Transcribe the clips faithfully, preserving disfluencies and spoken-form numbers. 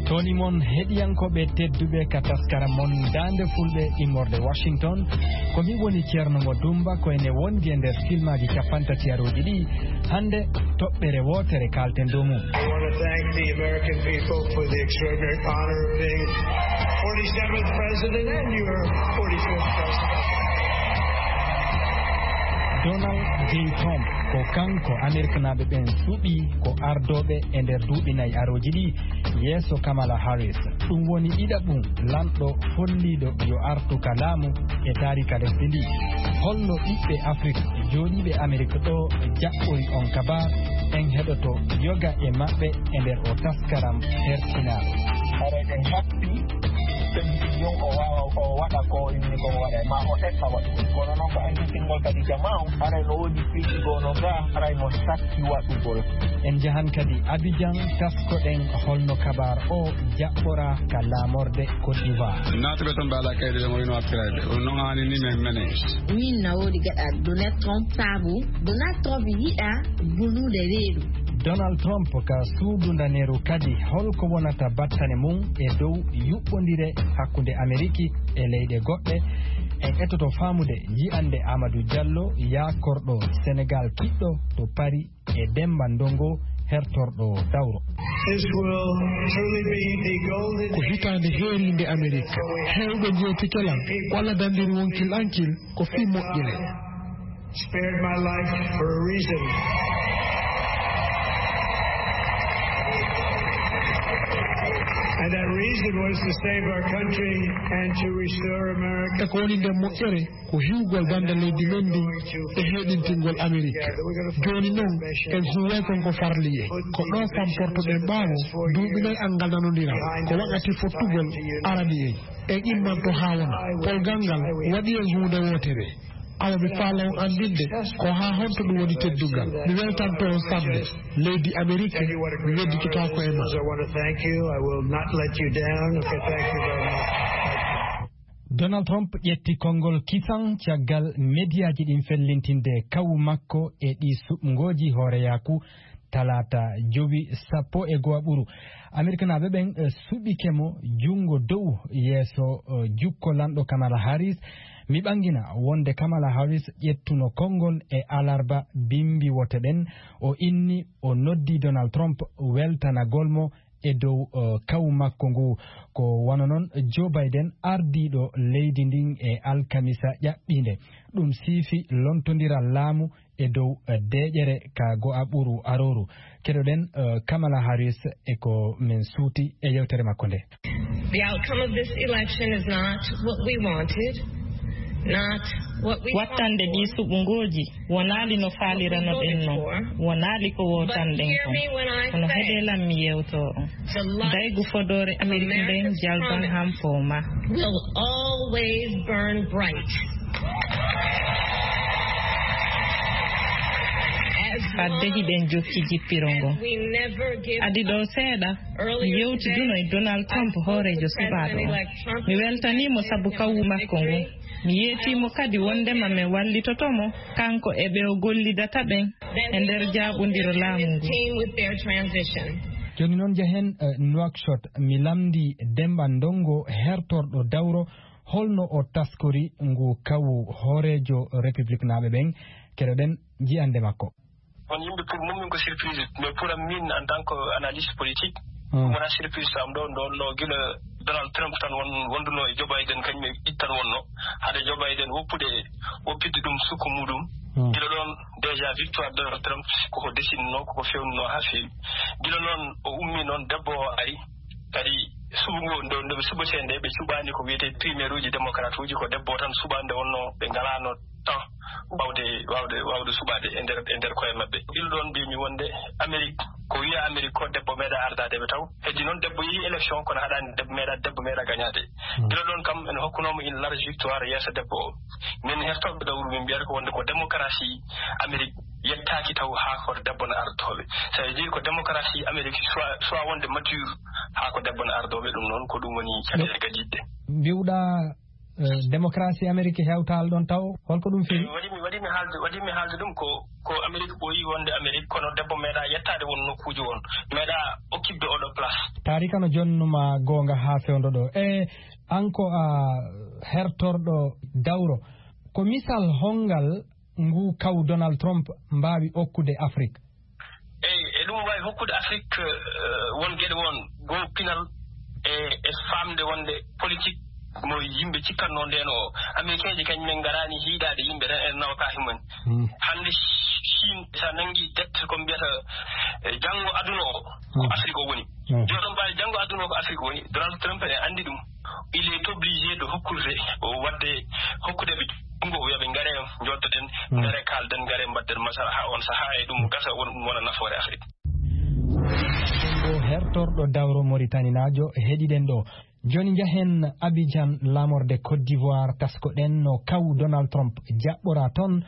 Toni mon heɗiyankooɓe tedduɓe ka taskaram mon Daande Fulɓe immorde Washington. Ko mi woni Ceerno Mo Dumba, ko ene wondi e nder filmaaji cappanɗe tati arooji ɗi. Hannde, toɓɓere wootere kaalten dow mum. I want to thank the American people for the extraordinary honor of being forty-seventh president and your forty-fifth president. Donald J Trump, ko kanko Ameriknaaɓe ɓen suɓi ko ardooɓe e nder duuɓi nayi arooji ɗi, yeeso Kamala Harris. Ɗum woni ɗiɗaɓum lanɗo folliiɗo yo artu ka laamu e taarika lesdi ndi. Holno ɓiɓɓe Afrik jooɗiiɓe Amerik ɗo jaɓɓori on kabaar? En heɗoto yoga e maɓɓe e nder o taskaram hertinaaɗo. Haray ɓe happi, ɓe mbi'i ɗum o waawa, o waɗa ko inni ko waɗa, ma o eɓɓa waɗugol. Kono noon ko anndintingol kadi jamaa on, haray no woodi piiji goo no gaa, haray no satti waɗugol. En njahan kadi Abidjan, taskoɗen holno kabaar o jaɓɓoraa ka laamorde Côte d'Ivoire. Naatɓe toon ɓe alaa kaydi ɓe mo wino artirayde. Ɗum noon haani ni men mene. Min na woodi gaɗa Donald Trump saabu Donald Trump yiɗa bulude reedu. Donald Trump ka suudu ndaneeru kadi, holko wonata battane mum e dow yuɓɓondire hakkunde Ameriki e leyɗe goɗɗe? En etoto faamude yi'ande Amadou Diallo, yaakorɗo Senegal kiɗɗo to Paris, e Demba Ndongo, hertorɗo dawro. This will truly be the golden Ko hitaande heeriinde Amerik. Heewɓe njeetike lan, walla dandir wonkil ankil, ko fii moƴƴere. Spared my life for a reason. And that reason was to save our country and to restore America. E ko woni nden moƴƴere? Ko hiwgol dande leydi men ndi e heɗintingol Amerik. Jooni non, en huuway kon ko farli en. Ko ɗoo famportoɗen ɓaawo duuɓi nayi anngal nanondiral. Ko wakkati fottugol arani en. En immanto haa wona. Polgal ngal waɗi en huunde wootere. Awa mi faala on anndinde ko haa honto ɗum woni teddungal. Mi weltanto on sanne. Leydi Amerik, mi wedditotaako e ma. I want to thank you. I will not let you down. Okay, thank you very much. Donald Trump ƴetti konngol kisan caggal mediyaaji ɗin fellintinde kawu makko e ɗi suɓngooji hooreyaaku talaata jowi sappo e go'o ɓuru. Amerikanaaɓe ɓen, eh, suɓike mo junngo dow yeeso, eh, jukko lanɗo Kamala Harris. Mi ɓangina wonde Kamala Harris ƴettuno konngol e alarba bimbi wote ɗen. O inni, o noddi Donald Trump weltanagol mo e dow, eh, kawu makko ngu. Ko wano non Joe Biden, ardiiɗo leydi ndin, e alkamisa ƴaɓɓiinde. Ɗum siifi lontondiral laamu e dow, eh, deeƴere ka go'a ɓuru arooru. Keɗoɗen, eh, Kamala Harris e ko men suuti e yewtere makko nde. The outcome of this election is not what we wanted, not what we Wattande ɗi suɓngooji wonaali no faaliranoɗen non, wonaali ko wootanɗen kon. Kono heɗee lan mi yewtoo on. Daygu fodoore Amerik nden jalban han fow ma. Will always burn bright. Fadde hiɗen jokki jippiro ngon. Adi ɗoo seeɗa, mi yewtiduno e Donald Trump, hooreejo suɓaaɗo on. Mi weltanii mo sabu kawu makko ngun. Mi yeetii mo kadi wondema men wallitoto mo, kanko e ɓe o gollidata ɓen e nder jaaɓondiro laamu ngu. Jooni non, njahen, eh, Nouakchott, mi lamndii Demba Ndongo, hertorɗo dawro, holno o taskori ngu kawu hooreejo Republiknaaɓe ɓen. Keɗoɗen ji'ande makko. On yimɓe, pour mum min ko surprise, mais pour am min en tant que analyste politique, hmm, ɗum wona surprise to am ɗo, ɗo, ɗo gila Donald Trump tan won, wonduno e Joe Biden, kañum e ɗiɗi tan wonno. Hade Joe Biden woppude, woppitde ɗum sukku muɗum. Hmm. Gila ɗon, déjà victoire Donald Trump, ko ko desinnoo, ko ko fewnunoo haa feewi. Gila noon o ummi noon, debbo o ari, kadi suɓo ngo, nde, nde ɓe suɓetee nde, ɓe cuɓaani ko wiyetee primaire uji démocrate uji, ko debbo o tan suɓaa, nde wonno ɓe ngalaano temps wawde, wawde, wawde suɓaade e nder, e nder koye maɓɓe. Gila ɗon mbiymi wonde Amérique, ko wiya Amérique ko debbo meeɗa ardaade ɓe taw. Heddi noon debbo yehi élection, kono haɗaani debbo meeɗa, debbo meeɗa gañaade. Hmm. Gila ɗon kam ene hokkunoo mo une large victoire yeeso debbo o. Min hertooɓe dawru min mbiyata ko wonde ko démocratie Amérique yettaaki taw haa ko debbo no ardotooɓe. Ça veut dire ko démocratie Amérique soit, soit wonde mature haa ko debbo no ardooɓe, ɗum noon ko ɗum woni caɗeele gadiiɗe. Mbiwɗaa Eh, démocratie Amérique hewtaali ɗon taw, holko ɗum firi? Waɗi mi, waɗi mi haalde, waɗi mi haalde ɗum ko, ko Amérique ɓooyi wonde Amérique, kono debbo meeɗa yettaade won nokkuuji won, meeɗa occupde oɗo place. Taarika no jonnuma goonga haa fewndo ɗo. E an ko a hertorɗo dawro, ko misal hongal ngu kaw Donald Trump mbaawi okkude Afrique? Eyi, e ɗum waawi hokkude Afrique, eh, won geɗe won, goo pinal e, e faamde wonde politique mo yimɓe cikkatnoo ndeen o, Américain ji kañum en ngaraani hiiɗaade yimɓe tan, en nawata himmen. Hmm. Hannde Chine, so a nanngi dette ko mbiyata, eh, janngo aduna o, ko Hmm. Afrique o woni. Hmm. Jooni noon, mbaɗa janngo aduna o ko Afrique woni, Donald Trump ene anndi ɗum. Il est obligé de hokkude, o waɗde, hokkude ɓe junngo, o wiya ɓe, "Ngare, njooɗoɗen, Hmm. ngare, kaalden, ngare, mbaɗden masala haa on sahaa, e ɗum gasa, won, wona nafoore Afrique." O hertorɗo dawro Moritaninaajo heɗiɗen ɗo. Jooni njahen Abidjan, laamorde Côte d'Ivoire, taskoɗen no kaw Donald Trump jaɓɓora toon.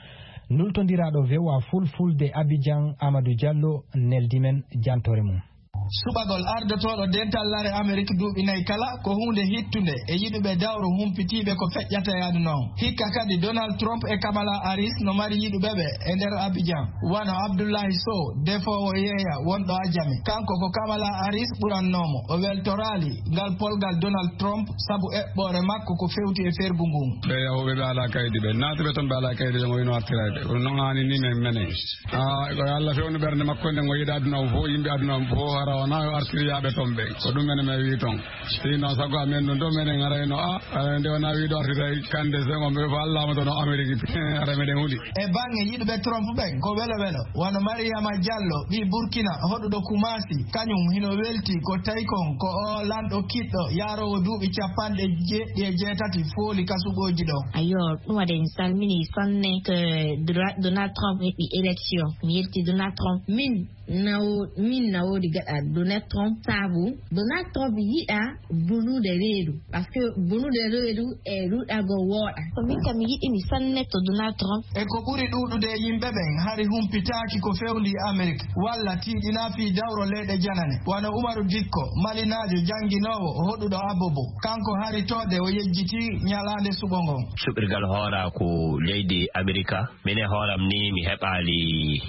Nultondiraaɗo V O A Fulfulde Abidjan, Amadou Diallo, neldi men jantoore mum. Suɓagol ardotooɗo dental lare Amerik duuɓi nayi kala ko huunde hittunde e yiɗuɓe dawro humpitiiɓe ko feƴƴata e aduna on. Hikka kadi Donald Trump e Kamala Harris no mari yiɗuɓe ɓe e nder Abidjan, wano Abdullahi Sow, defoowo yeeya wonɗo Ajami. Kanko ko Kamala Harris ɓurannoomo. O weltoraali ngal polgal Donald Trump sabu eɓɓoore makko ko fewti e fergu ngun. Ɓe yahooɓe ɓe alaa kaydi ɓe, naatuɓe toon ɓe alaa kaydi ɓe, mo wino artirayde. Kono noon haani ni men menen. Ah, ko Allah fewndo ɓernde makko nde, o yiɗa aduna o fof, yimɓe aduna o fof, hara wona o artiri yaaɓe toon ɓe. Ko ɗum menen men wi toon. Sinon, sago amen ɗum ɗo menen arayno, ah, ah, nde wona wiiɗo artiri kande Senghor, mbe ko Allah mo toon o Amérique, ara meɗen huli. E baŋŋe yiɗuɓe Trump ɓen, ko welo welo. Wano Mariama Diallo, ɓii Burkina, hoɗuɗo Kumasi, kañum hino welti ko tawi kon ko o lanɗo kiɗɗo, yaaroowo duuɓi capanɗe jeeɗiɗi e jeetati fooli ka suɓooji ɗo. Ayo, ɗum waɗi en salmini sanne ko Dra-, Donald Trump heɓi élection. Mi yelti Donald Trump. Min, na wo-, min na woodi gaɗa Donald Trump, sabu Donald Trump yiɗa bonude reedu. Parce que bonude reedu e ruɗago wooɗa. Ko min kam mi yiɗi mi sanne to Donald Trump. E ko ɓuri ɗuuɗude e yimɓe ɓen hari humpitaaki ko fewndi Amerik, walla tiiɗina fii dawro leyɗe janane. Wano Umaru Dikko, malinaajo jannginoowo, hoɗuɗo Abobo. Kanko hari toode o yejjiti ñalaande suɓo ngon. Suɓirgal hooraa ko leydi Amerika. Min e hooram ni mi heɓaali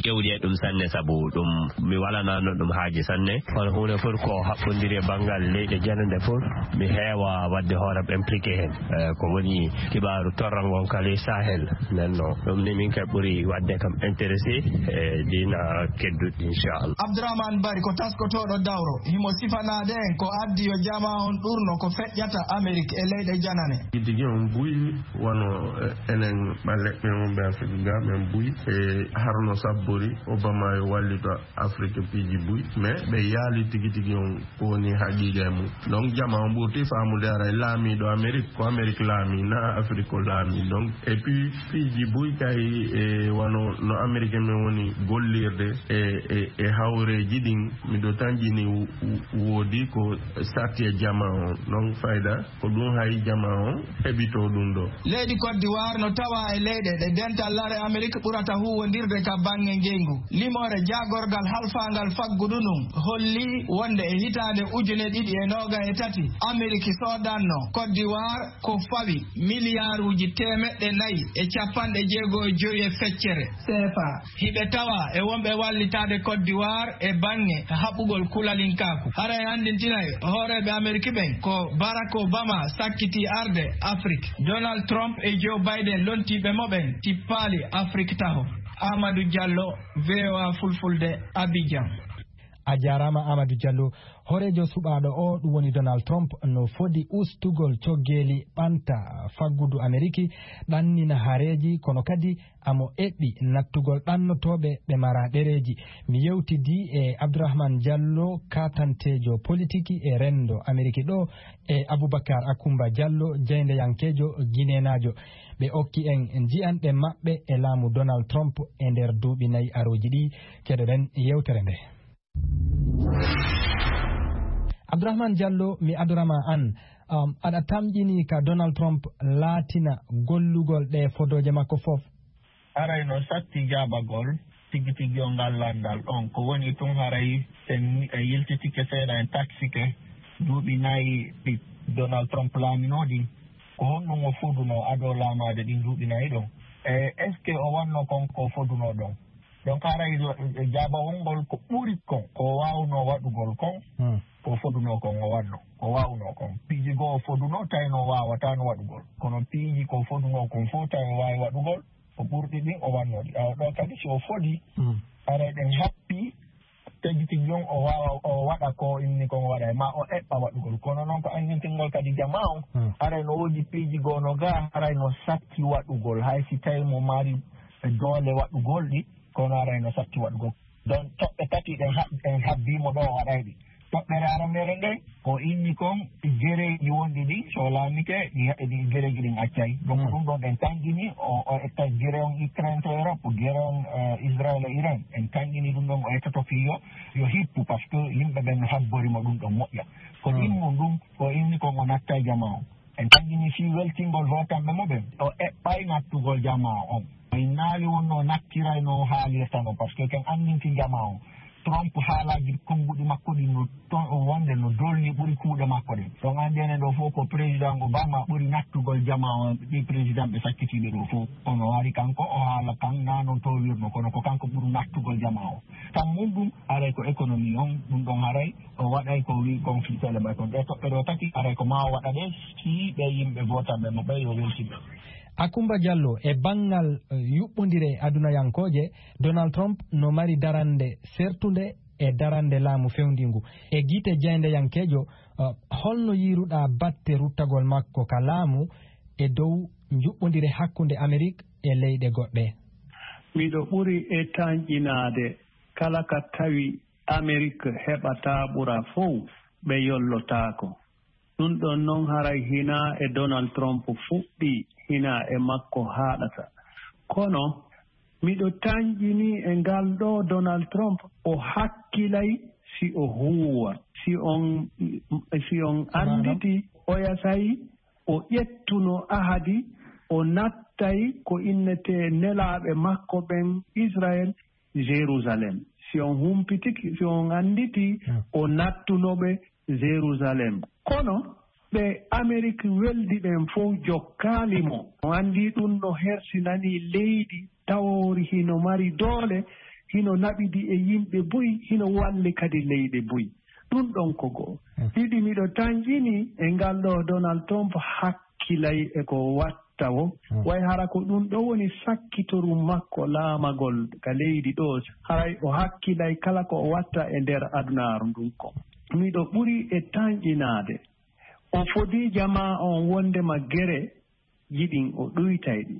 ƴewdi e ɗum sanne, sabu ɗum mi walanaano ɗum haaji sanne. Kono huunde fof ko haɓɓondiri e banngal leyɗe janande fof, mi heewa waɗde hooram impliqué heen. Eh, ko woni kibaaru torra ngon kala e Sahel. Nden no, ɗum ni min kay ɓuri waɗde kam intéressé e diina kedduɗi, inchallah. Abdourahmane Bari ko taskotooɗo dawro, himo sifanaade en ko addi yo jamaa on ɗurno ko feƴƴata Amerik e leyɗe janane. Tigi tigi on buy wano, eh, enen ɓaleɓɓe wonɓe Afrik ga, men buy e harno sabbori Obama yo wallito Afrik piiji buy, mais ɓe yaali tigi tigi on ko woni haqiqa e mum. Donc jama on ɓurti faamude ara e laamiɗo Amerik, ko Amerik laami, na Afrik ko laami. Donc, et puis piiji buy kay, e wano no Amerik men woni gollirde e, e, e hawreeji ɗin, miɗo tanƴini wo-, wo-, woodi ko satti e jama on. Donc fayda ko ɗum hay jama on heɓito ɗum ɗo. Leydi Côte d'Ivoire no tawa e leyɗe ɗe dental lare Amerik ɓurata huuwondirde ka baŋŋe ngeyngu. Limoore jaagorgal halfaangal faggudu ndun holli wonde e hitaande ujune ɗiɗi e noogas e tati, Amerik soodanno Côte d'Ivoire ko fawi miliyaaruuji teemeɗɗe nayi e capanɗe jeego e jowi e feccere C F A. Hiɓe tawa e wonɓe wallitaade Côte d'Ivoire e baŋŋe haɓugol kulalinkaaku. Hara e anndintinay hooreeɓe Amerik ɓen ko Barack Obama sakkiti arde Afrik. Donald Trump e Joe Biden lontiiɓe mo ɓen tippaali Afrik taho. Amadou Diallo, V O A Fulfulde, Abidjan. A jaaraama, Amadou Diallo. Hooreejo suɓaaɗo o, ɗum woni Donald Trump, no fodi ustugol coggeeli ɓanta faggudu Ameriki, ɗannina hareeji, kono kadi amo eɓɓi nattugol ɗannotooɓe ɓe maraa ɗereeji. Mi yewtidii e Abdourahmane Diallo, kaatanteejo politiki e renndo Ameriki ɗo, e Aboubacar Akoumba Diallo, jaayndeyankeejo gineenaajo. Ɓe okki en jiyanɗe maɓɓe e laamu Donald Trump e nder duuɓi nayi arooji ɗi. Keɗoɗen yewtere nde. Abdourahmane Diallo, mi adorama an, um, aɗa tamƴini ka Donald Trump laatina gollugol ɗe fodooje makko fof? Aray no satti jaabagol tigi tigi o ngal lanndal ɗon. Ko woni tun haray sen, en yiltitike seeɗa, en taksike duuɓi nayi ɗi Donald Trump laaminoo ɗin. Ko honɗum o fodunoo adoo laamaade ɗin duuɓi nayi ɗon? E est-ce que o wannoo kon ko o fodunoo ɗon? Donc, haray ɗo, e, e jaabawol ngol ko ɓuri kon, ko o waawnoo waɗugol kon, Hmm. ko o fodunoo kon o wannoo, ko o waawnoo kon. Piiji goo o fodunoo, tawi no o waawataano waɗugol. Kono piiji ko o fodunoo kon fof, tawi o waawi waɗugol, ko ɓurɗi ɗin o wannoo ɗi. Awa ɗo kadi, si o fodii, Hmm. haray ɗen happii, tigi tigi ɗon o waawa, o waɗa ko inni kon o waɗa, ma o eɓɓa waɗugol. Kono noon ko anngintingol kadi jamaa on, Hmm. haray no woodi piiji goo no gaa, haray no satti waɗugol. Hay si tawi mo mari doole waɗugol ɗi, kono haray no satti waɗugol. Donc, toɓɓe tati ɗen hab-, ɗen habbii mo ɗo o waɗay ɗi. Toɓɓere aranere nden, ko inni kon gereeji wonɗi ɗi, so o laamike, ɗi, ɗi gereeji ɗin accay. Donc, Hmm. ɗum ɗon ɗen tanƴini, o, o etta gere on Ukraine to Europe, gere on, eh, Israel e Iran. En tanƴini ɗum ɗon, o ettoto fii yo, yo hippu, parce que yimɓe ɓen no habbori mo ɗum ɗon moƴƴa. Ko Hmm. ɗin mun ɗum, ko inni kon o natta e jamaa on. En tanƴini fii weltingol hootanɓe mo ɓen. O eɓɓay nattugol jamaa on. O innaali wonno nattiray no haalirta non, parce que ken anndinti jamaa on. Trump haalaaji konnguɗi makko ɗin no ton o wonde no dolni ɓuri kuuɗe makko ɗen. Ɗon anndi enen ɗo fof ko président Obama ɓuri nattugol jamaa on, ɗi président ɓe sakkitiiɓe ɗo fof. Kono o ari kanko, o haala kan na non towirno, kono ko kanko ɓuri nattugol jamaa on. Tan mun ɗum, haray ko économie on, ɗum ɗon haray, o waɗay ko wi conflit célébration. Ɗe toɓɓe ɗo tati, haray ko ma o waɗa ɗe, si ɓe yimɓe votanɓe mo ɓe yo weltin ɓe. Akumba Diallo, e banngal, eh, yuɓɓondire adunayankooje, Donald Trump no mari darande sertunde e darande laamu fewndingu. E gite jaayndeyankeejo, eh, holno yiiruɗaa batte ruttagol makko ka laamu e dow njuɓɓondire hakkunde Amerik e leyɗe goɗɗe? Miɗo ɓuri e tanƴinaade kala ka tawi Amerik heɓataa ɓura fow, ɓe yollotaako. Ɗum ɗon non haray hinaa e Donald Trump fuɗɗii, hinaa e makko haaɗata. Kono miɗo tanƴinii e ngal ɗoo Donald Trump, o hakkilay si o huuwa, si on, si on annditi oya sayi o ƴettuno ahadi, o nattay ko innetee nelaaɓe makko ɓen Israel, Jerusalem. Si on humpitiki, si on annditi, Hmm. o nattuno ɓe Jerusalem. Kono ɓe Amerik weldi ɓen fow jokkaali mo. On anndi ɗum no hersinani leydi tawoori hino mari doole, hino naɓidi e yimɓe buy, hino walli kadi leyɗe buy. Ɗum ɗon ko go'o. Hmm. Ɗiɗi, miɗo tanƴini e ngal ɗoo Donald Trump hakkilay e ko watta wo. Hmm. Way hara ko ɗum ɗo woni sakkitoru makko laamagol ka leydi ɗo. Haray o hakkilay kala ko o watta e nder adunaaru ndun kon. Miɗo ɓuri e tanƴinaade. O fodii jamaa on wondema gere jiɗin o ɗuytay ɗi.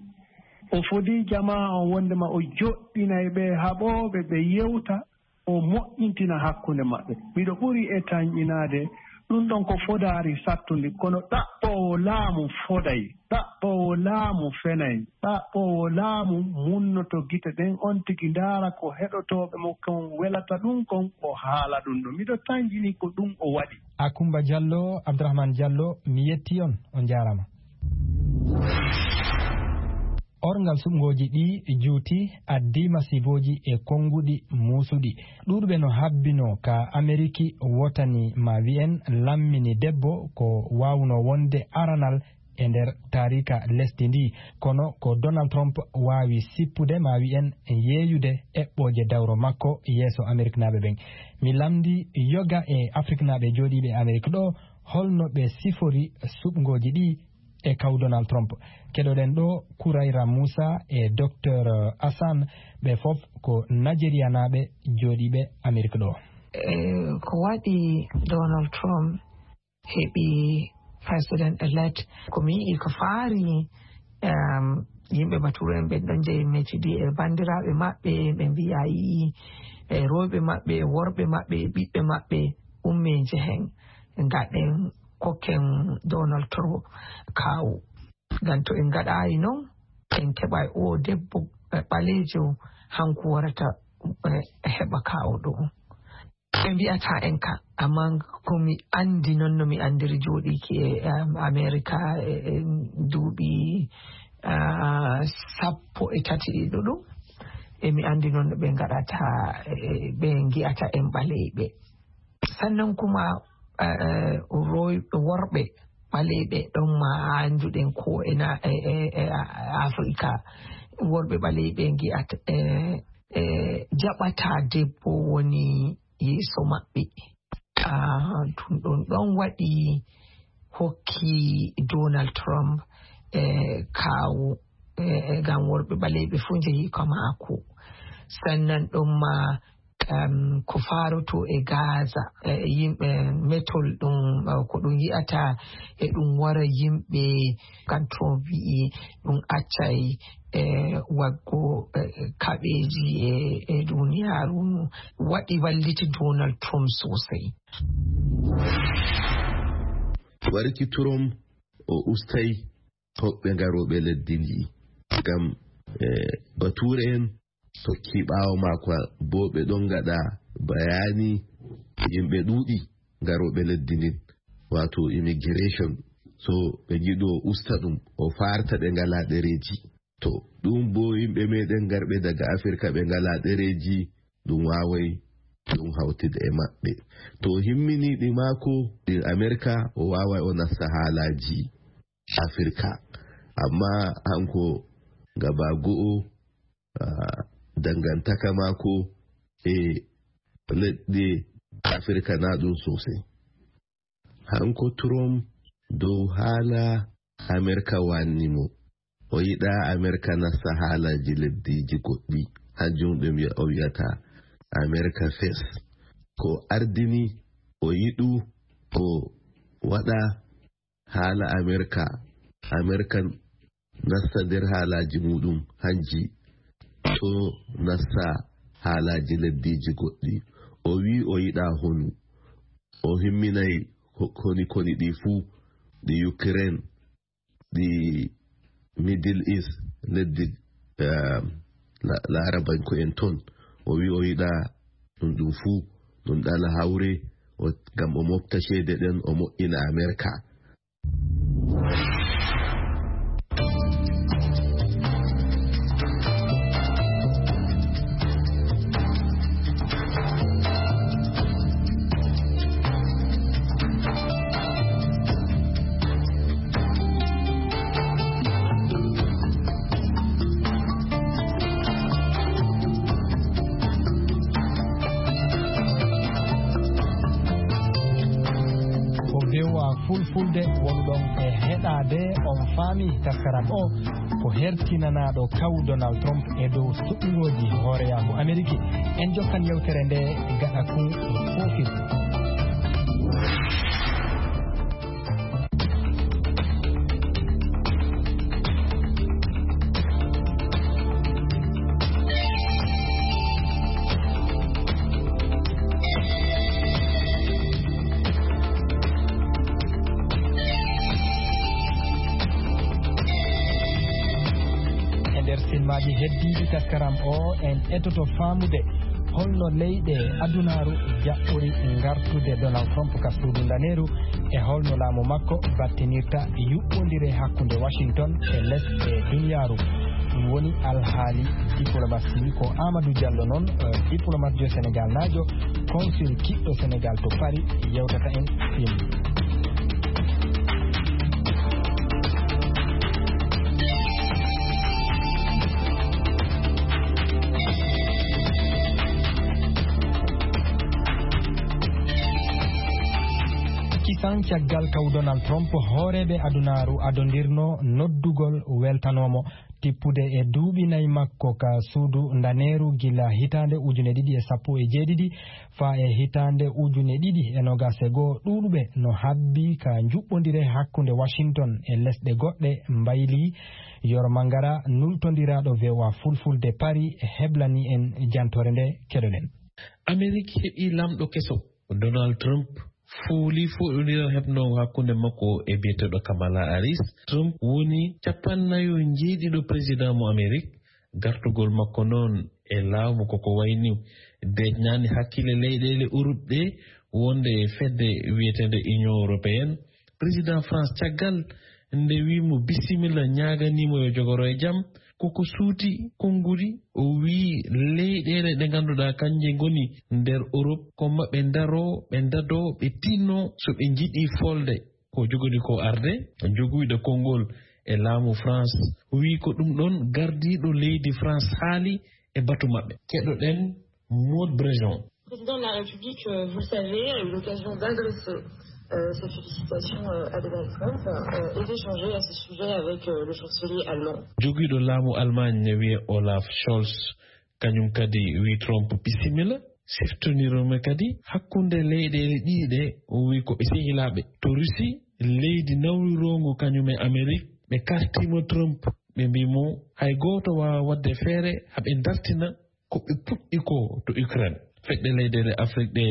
O fodii jamaa on wondema o joɗɗinay ɓe haɓooɓe ɓe yewta, o moƴƴintina hakkunde maɓɓe. Miɗo ɓuri e tanƴinaade ɗum ɗon ko fodaari sattundi, kono ɗaɓɓoowo laamu foday, ɗaɓɓoowo laamu fenay, ɗaɓɓoowo laamu munnoto gite ɗen, on tigi ndaara ko heɗotooɓe mo kon welata ɗum kon, o haala ɗum ɗon. Miɗo tanƴini ko ɗum o waɗi. Akumba Diallo, Abdourahmane Diallo, mi yetti on, on jaarama. Orngal suɓngooji ɗi juuti, addi masibooji e konnguɗi muusuɗi. Ɗuuɗuɓe no habbinoo ka Ameriki wotani, ma wi'en, lammini debbo ko waawnoo wonde aranal e nder taariika lesdi ndi. Kono ko Donald Trump waawi sippude, ma wi'en, yeeyude eɓɓooje dawro makko yeeso Ameriknaaɓe ɓen. Mi lamndi yoga e Afriknaaɓe jooɗiiɓe Amerik ɗo, holno ɓe sifori suɓngooji ɗi e kaw Donald Trump. Keɗoɗen ɗo Kurayra Musa e Docteur Hassan, ɓe fof ko Nigerianaaɓe jooɗiiɓe Amerik ɗo. Eh, ko waɗi Donald Trump heɓi president elect, ko mi yi'i ko faari, em, yimɓe Bature en ɓen ɗon jeyi metidi e banndiraaɓe maɓɓe, ɓe mbiya yi'i e rewɓe maɓɓe, e worɓe maɓɓe, e ɓiɓɓe maɓɓe, umme njehen, ngaɗen, kokken Donald Trump kaawu. Ngam to en ngaɗaayi non, en keɓay o debbo, eh, ɓaleejo, hanko warata, eh, heɓa kaawu ɗo. Ɓe mbi'ata en ka, amma ko mi anndi non, no mi anndiri jooɗiiki e, em, Amerika e, e duuɓi, ah, sappo e tati ɗiɗo ɗum, e mi anndi non no ɓe ngaɗata, e, ɓe ngi'ata en ɓaleeɓe. Sannan kuma, eh, roy-, worɓe, ɓaleeɓe ɗon ma annduɗen ko e na- e- e- e- a- afrika, worɓe ɓaleeɓe ngi'ata e- e jaɓata debbo woni yeeso maɓɓe. Ah, ɗum ɗon ɗon waɗi hokki Donald Trump e kaawu e- e ngam worɓe ɓaleeɓe fof njehi ko maako. Sannan ɗon ma um, ko faaroto e Gaza, e yimɓe metol ɗum, uh, ko ɗum yi'ata e ɗum wara yimɓe kan Trump wi'i ɗum accay e waggo e kaɓeeji e e duniyaaru waɗi walliti Donald Trump sosai. Warki Trump o ustai hoɓɓe ngarooɓe leddi ndi ngam e bature en tokki ɓaawo maako. Boo ɓe ɗon ngaɗa bayaani yimɓe ɗuuɗi ngarooɓe leddi ndin, wato immigration. So ɓe ngiɗo o usta ɗum, o farta ɓe ngalaa ɗereeji. To ɗum boo yimɓe meɗen ngarɓe daga Afirka ɓe ngalaa ɗereeji, ɗum waaway ɗum hawtida e maɓɓe. To o himmini ɗi maako ɗin Amerika, o waaway o nasta haalaaji Afirka. Amma hanko gaba go'o, ah, dangantaka maako e leɗɗe Afirka na ɗum sosai. Hanko Trump dow haala Amerika wanni mo. O yiɗa Amerika nasta haalaji leddiiji goɗɗi. Hanjum ɗum o wi'ata Amerika fes. Ko ardini o yiɗu o waɗa haala Amerika, Amerika nasta nder haalaaji muuɗum hanji, to nasta haalaaji leddiiji goɗɗi. O wi'i o yiɗaa honu. O himminay ko- koni koni ɗi fuu, ɗi Ukraine, ɗi Middle East, leddi, eh, la- Laarabanko en ton. O wi'i o yiɗaa ɗum ɗum fuu, ɗum ɗala hawre, o- ngam o mofta ceede ɗen, o moƴƴina Amerika. Ko V O A Fulfulde wonɗon e heɗaade, on faami taskaram o ko hertinanaaɗo kaw Donald Trump e dow suɓngooji hooreyaaku Ameriki. En jokkan yewtere nde gaɗa kun foofirde. E nder silmaaji heddiiɗi taskaram o, en etoto faamude holno leyɗe adunaaru jaɓɓori ngartude Donald Trump ka suudu ndaneeru, e holno laamu makko battinirta yuɓɓondire hakkunde Washington e lesɗe duniyaaru. Ɗum woni alhaali diplomasi. Ko Amadou Diallo noon, eh, diplomat jo Sénégal naajo, consul kiɗɗo Sénégal to Paris, yewtata en fim. Kisan caggal kaw Donald Trump, hooreeɓe adunaaru adondirno noddugol weltanoomo tippude e duuɓi nayi makko ka suudu ndaneeru gila hitaande ujune ɗiɗi e sappo e jeeɗiɗi faa e hitaande ujune ɗiɗi e noogaas e goo. Ɗuuɗuɓe no habbi ka njuɓɓondire hakkunde Washington e lesɗe goɗɗe mbayli. Yoro Mangara, nultondiraaɗo V O A Fulfulde Paris, heblani en jantoore nde, keɗoɗen. Amerik heɓi lamɗo keso, Donald Trump, fooli foɗondiral heɓnoowo hakkunde makko e biyeteeɗo Kamala Harris. Trump woni cappannayo njeeɗiɗo président mo Amerik. Gartugol makko noon e laamu koko wayni deƴnaani hakkille leyɗeele Europe ɗe, wonde e fedde wiyeteende Union Européenne. Président France, caggal nde wii mo bisimilla, ñaaganiimo yo jogoro e jam, koko suuti konnguli, o wii leyɗeele ɗe ngannduɗaa kanje ngoni nder Europe, ko maɓɓe ndaroo, ɓe ndadoo, ɓe tinnoo so ɓe njiɗii folde. ko jogori ko arde, joguyɗo konngol e laamu France, wii ko ɗum ɗon gardiiɗo leydi France haali e batu maɓɓe. Keɗoɗen Maud Brejon. Le président de la République, euh, vous le savez, a eu l'occasion d'adresser euh, ses félicitations euh, à Donald Trump euh, et d'échanger à ce sujet avec euh, le chancelier allemand. Jogiiɗo laamu Allemagne ne wiyee Olaf Scholz, kañum kadi wii Trump bisimilla. Siftondiroomi kadi hakkunde leyɗeele ɗiɗi ɗe, o wii ko ɓe sehilaaɓe. To Russie, leydi nawliroongo kañum e Amérique, ɓe kartiima Trump, ɓe mbii mo hay gooto waawaa waɗde feere haa ɓe dartina ko ɓe puɗɗi ko to Ukraine. Fedde leyɗeele Afrik ɗe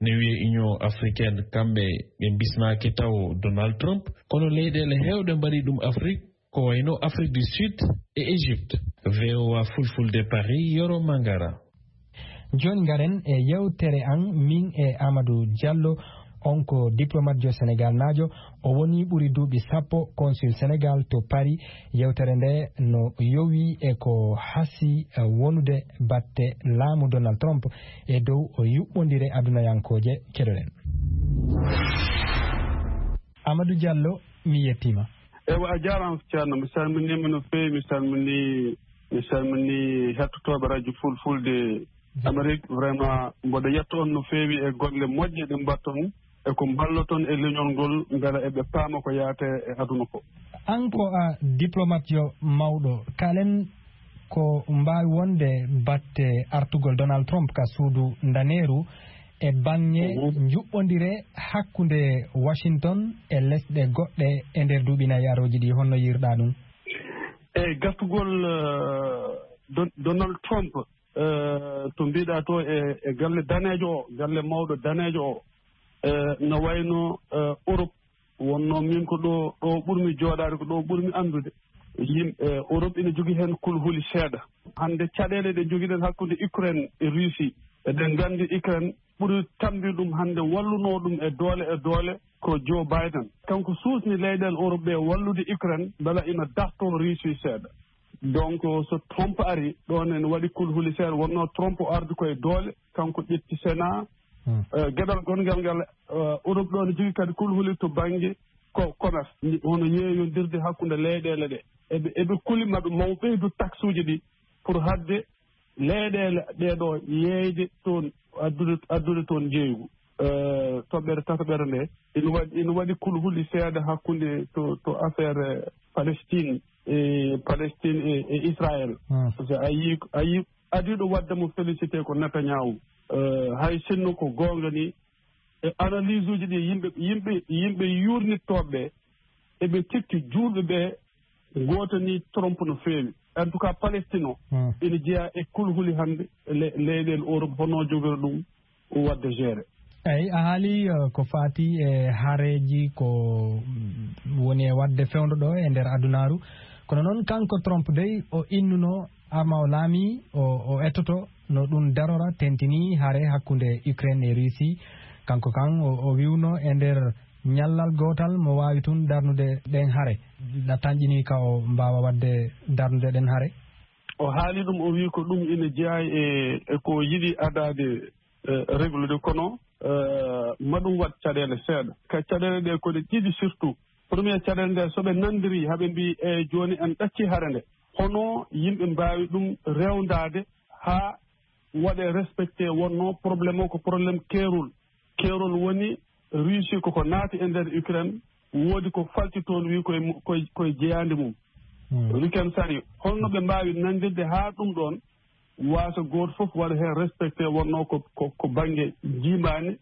ne wiyee Union Africaine, kamɓe ɓe mbismaaki taw Donald Trump, kono leyɗeele heewɗe mbaɗi ɗum Afrik, ko wayno Afrique du Sud e Égypte. V O A Fulfulde Paris, Yoro Mangara. Jooni ngaren e yewtere an, min e Amadou Diallo, on ko diplomatejo Senegalnaajo, o woni ɓuri duuɓi sappo consul Senegal to Paris. Yewtere nde no yowi e ko hasi, eh, wonude batte laamu Donald Trump e dow o yuɓɓondire adunayankooje. Keɗoɗen. Amadou Diallo, mi yettiima. Ewa, a jaaraama, Ceerno. Mi salminiima no feewi, mi salmini, mi salmini hettotooɓe radio Fulfulde Amérique. Vraiment, mboɗo yetta on no feewi e golle moƴƴe ɗe mbaɗton e ko mballoton e leñol ngol, mbela eɓe paama ko yaate e aduna ko. An ko a diplomatejo mawɗo, kaalen ko mbaawi wonde batte artugol Donald Trump ka suudu ndaneeru e baŋŋe Mhm. njuɓɓondire hakkunde Washington e lesɗe goɗɗe e nder duuɓi nayi arooji ɗi, honno yiirɗaa ɗum? E gartugol, eh, Don-, Donald Trump, eh, to mbiɗa to e, e galle daneejo o, galle mawɗo daneejo o, eh, no wayno, eh, Europe wonno min ko ɗo, ɗo ɓurmi jooɗaade, ko ɗo ɓurmi anndude. Yimɓe, eh, Europe ina jogii heen kulhuli seeɗa. Hannde caɗeele ɗe njogiɗen hakkunde Ukraine e Russie, eɗen nganndi Ukraine ɓuri tambi ɗum hannde wallunoo ɗum e doole e doole ko Joe Biden. Kanko suusni leyɗeele Europe ɓe wallude Ukraine, mbela ina dartoo Russie seeɗa. Donc, so Trump ari, ɗoon ene waɗi kulhuli seeɗa. Wonnoo Trump o ardi ko e doole, kanko ƴetti Sénat. Hmm. Eh, geɗal gonngal ngal, eh, Europe ɗoon ne jogii kadi kulhuli to bannge ko commerce, hono yeeyondirde hakkunde leyɗeele ɗe. Eɓe, eɓe kuli maɓe maw ɓeydu taxuuji ɗi pour haɗde leyɗeele ɗee ɗoo yeeyde toon, addude, addude toon njeeygu. Eh, toɓɓere tataɓere nde, ina waɗi, ina waɗi kulhuli seeɗa hakkunde to, to affaire, eh, Palestine, e Palestine e, e Israël. Hmm. Parce que a yii, a yii, adiiɗo waɗde mo félicité ko Netanyahu. Eh, hay sinno ko goonga ni, e analyse uji ɗi yimɓe, yimɓe, yimɓe yuurnittooɓe ɓe, eɓe cikki juulɓe ɓe ngootanii Trump no feewi. En tout cas, Palestine o, Hmm. ina jeyaa e kulhuli hannde le-, leyɗeele Europe, hono jogori ɗum waɗde gérer. Eyi, a haali, eh, ko faati e hareeji ko, mm, woni e waɗde fewndo ɗo e nder adunaaru. Kono noon, kanko Trump dey, o innuno arma o laami, o, o ettoto no ɗum darora, tentini hare hakkunde Ukraine e Russie. Kanko kan, o, o wiwno e nder ñallal gootal mo waawi tun darnude ɗen hare. Na tanƴini ka o mbaawa waɗde darnude ɗen hare? O haali ɗum, o wi ko ɗum ina jeyaa e, e ko yiɗi adaade, eh, reglude, kono, eh, ma ɗum waɗ caɗeele seeɗa. Ka caɗeele ɗe ko ɗe ɗiɗi surtout. Premier caɗeele nde, so ɓe nanndiri, haa ɓe mbi, "E jooni en ɗacci hare nde." Hono yimɓe mbaawi ɗum rewndaade haa waɗe respecté, wonno problème o ko problème keerol. Keerol woni Russie koko naati e nder Ukraine, woodi ko falti toon, wi koye mu-, koye, koye jeyaande mum. Hmm. Weekend sari, holno ɓe mbaawi nanndirde haa ɗum ɗoon waasa gooto fof waɗa heen respecté, wonno ko, ko, ko bannge njiimaandi.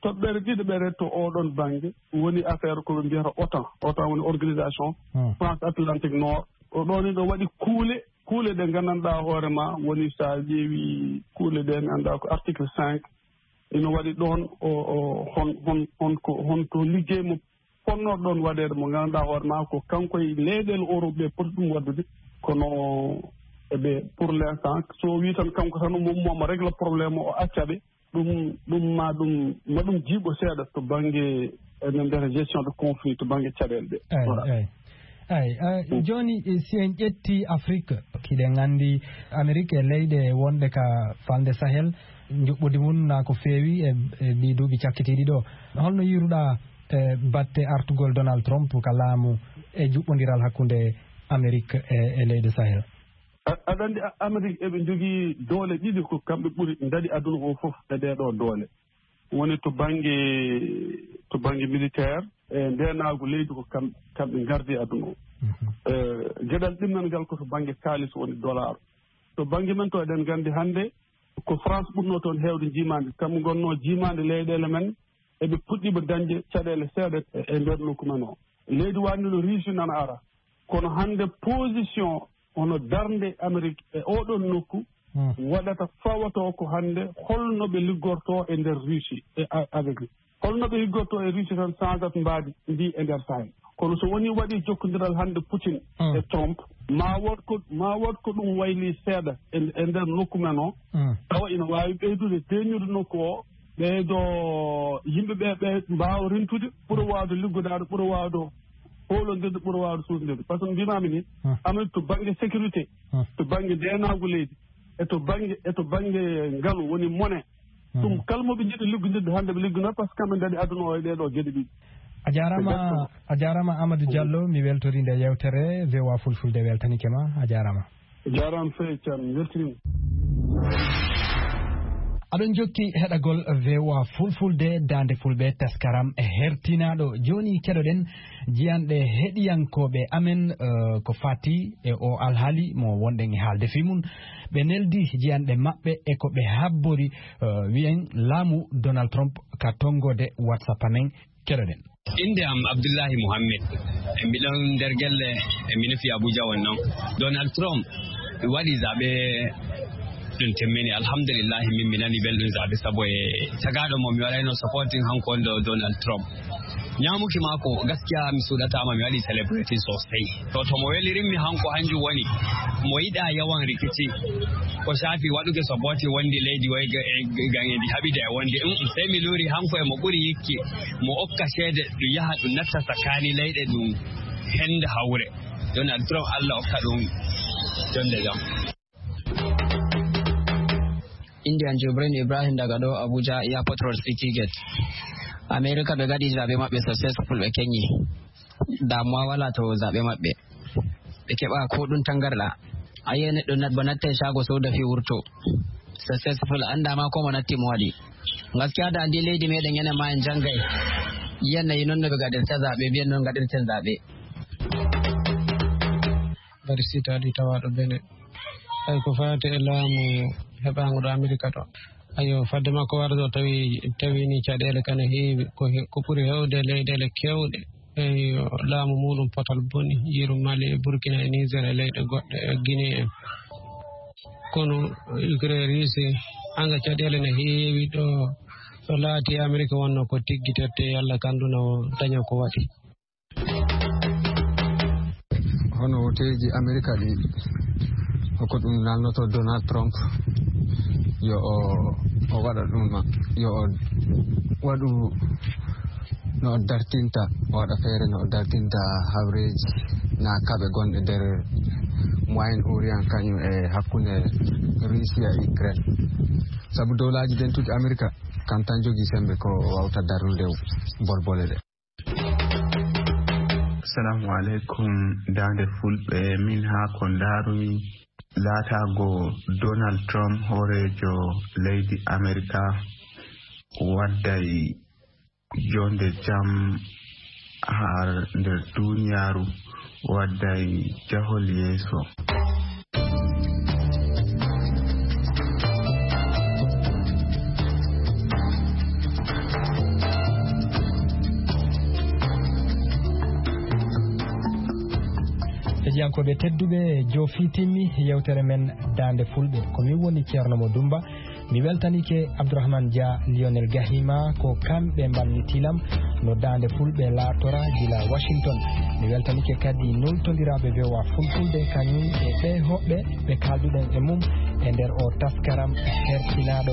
Toɓɓere ɗiɗaɓere to oɗon bannge woni affaire ko ɓe mbiyata otan. Otan woni organisation Hmm. France Atlantique Nord. O ɗoon ina waɗi kuule, kuule ɗe nganndanɗaa hoore ma, woni so a ƴeewi kuule ɗe ngannduɗaa ko article cinq, ina waɗi ɗoon o, o, hon, hon, hon ko, hon to liggey mo fonnoo ɗoon waɗeede, mo ngannduɗaa hoore ma ko kanko e leyɗeele Europe ɓe poti ɗum waɗdude, kono eɓe, pour l'instant, so o wii tan kanko tan mo, mo, mo régla problème o, o acca ɓe, ɗum, ɗum ma ɗum, ma ɗum jiiɓo seeɗa to bannge, enen mbiyata gestion de conflit, to bannge caɗeele ɗe. Eyi, Voilà. eyi. Eyi, eh, Mm. jooni, eh, si en ƴetti Afrik, hiɗen anndi Amerik e leyɗe wonɗe ka falnde Sahel, njuɓɓudi mum na ko feewi e, e ɗii duuɓi cakkitiiɗi ɗo. Holno yiiruɗaa e batte artugol Donald Trump ka laamu e juɓɓondiral hakkunde Amerik e, e leyɗe Sahel? A- aɗa anndi, A- Amerik eɓe njogii doole ɗiɗi ko kamɓe ɓuri ndaɗi aduna o fof e ɗee ɗoo doole. Woni to bannge, to bannge militaire, e ndeenaagu leydi ko kam-, kamɓe ngardi aduna o. Mhm. E, geɗal ɗimmel ngal ko to bannge kaalis woni dollar. To bannge men to eɗen nganndi hannde ko France ɓurnoo toon heewde jiimaande. Kamɓe ngonnoo jiimaande leyɗeele men, eɓe puɗɗiima dañde caɗeele seeɗa e, e nder nokku men o. Leydi waɗndi no Russie nana ara. Kono hannde position hono darnde Amerik e oɗon nokku Hmm. waɗata fawatoo ko hannde holno ɓe liggortoo e nder Russie e a- avec. Holno ɓe liggortoo e Russie tan sangat mbaadi ndi e nder Sahel. Kono so woni waɗi jokkondiral hannde Putin Hmm. e Trump, ma wood ko, ma wood ko ɗum wayli seeɗa e, e nder nokku men o. Hmm. Tawa ina waawi ɓeydude deeñude nokku o, ɓeydo yimɓe ɓe, ɓe mbaawa rentude, ɓura waawde liggodaade, ɓura waawde hoolondirde, ɓura waawde suusndirde. Par ce que mbimaami ni, Hmm. Amérique to bannge sécurité, Hmm. to bannge ndeenaagu leydi, e to bannge, e to bannge ngalu woni mone. Hmm. Ɗum kala mo ɓe njiɗi liggondirde hannde ɓe liggonoo, par ce que kamɓe ndaɗi aduna o e ɗee ɗoo geɗe ɗiɗi. A jaaraama, Exactement. A jaaraama Amadou Diallo, mi weltori nde yewtere V O A Fulfulde weltanike ma, a jaaraama. Jaaraama sey Thiam, weltiniima. Aɗon jokki heɗagol V O A Fulfulde, Daande Fulɓe, taskaram hertinaaɗo. Jooni keɗoɗen jiyanɗe heɗiyankooɓe amen, eh, ko fati e o alhaali mo wonɗen e haalde fii mum. Ɓe neldi jiyanɗe maɓɓe e ko ɓe habbori, eh, wiyen laamu Donald Trump ka tonngode WhatsApp amen. Keɗoɗen. Innde am Abdullahi Muhammed. E miɗon nder gelle, e mi nufi Abuja won non. Donald Trump waɗi zaɓe ɗum timmini. Alhamdulillahi, min mi nani belɗum zaɓe, sabu e tagaaɗo mo mi waɗayno supporting hanko on ɗo Donald Trump. Ñaamuki maako, gaskiya mi suuɗataama, mi waɗi celebrity sosai. To, to mo welirimmi hanko, hanjum woni mo yiɗa yawan rikici. Ko shafi waɗuki supporting wondi leydi woy ga-, e, ga-, ga-, ndi haɓida e wondi. Mm, mm, sey mi luuri hanko e mo ɓuri yikki, mo okka ceede ɗum yaha ɗum natta sakani leyɗe ɗum henda hawre. Donald Trump, Allah okka ɗum jonde jam. Indian Jibrin Ibrahim daga ɗo Abuja Airport Road City Gate. America ɓe gaɗi zaɓe maɓɓe successful, ɓe kenyi. Damuwa wala to zaɓe maɓɓe. Ɓe keɓa ko ɗum tangarɗa. A yi'ay neɗɗo nat-, ba nattai shago soda fi wurto. Successful, anda ma ko mo natti mo waɗi. Gaskiya da andi leydi meɗen enen ma en jangay. Yi'an nayi non no ɓe gaɗirta zaɓe, mbi'en non gaɗirten zaɓe. Mbaɗi sitaadi tawaaɗo Benin. Hay ko faati e laamu heɓaango ɗo Amerika ɗo. Ayo, fadde makko warde o tawi, tawi ni caɗeele kane heewi. Ko he-, ko ɓuri heewde leyɗeele keewɗe. Eyo, laamu muɗum potal boni. Yiru Mali e Burkina e Niger e leyɗe goɗɗe e Guinée en. Kono Ukraine, Russie, hanga caɗeele ne heewi ɗo. So laati Amerika wonno ko tiggi tette, yalla kandu no daña ko waɗi. Hono woteeji Amerika ɗi, ko ɗum nalnoto Donald Trump, yo o, o waɗa ɗum, yo o waɗu no o dartinta, o waɗa feere no o dartinta hawreeji na kaɓe gonɗe nder Moyen Orient kañum e hakkunde Russia e Ukraine. Sabu dowlaaji dentuɗi Amerika kam tan jogii sembe ko wawta darnude bolbole ɗe. Assalamu alaikum, Daande Fulɓe. Min haa ko ndaarumi laataago Donald Trump hooreejo leydi Amerika wadday jonde jam har nder duniyaaru, wadday jahol yeeso. Heɗiyankooɓe tedduɓe, joofi timmi yewtere men Daande Fulɓe. Ko min woni Ceerno Mo Dumba. Mi weltanike Abdourahmane Dia, Lionel Gahima, ko kamɓe mballitilam no Daande Fulɓe laatora gila Washington. Mi weltanike kadi nultondiraaɓe V O A Fulfulde, kañum e ɓee hoɓɓe ɓe kaalduɗen e mum e nder o taskaram hertinaaɗo.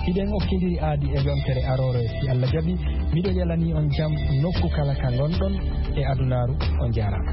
Hiɗen okkindiri aadi e yontere aroore, si Allah jaɓi. Miɗo yalani on jam nokku kala ka ngonɗon e adunaaru. On jaaraama.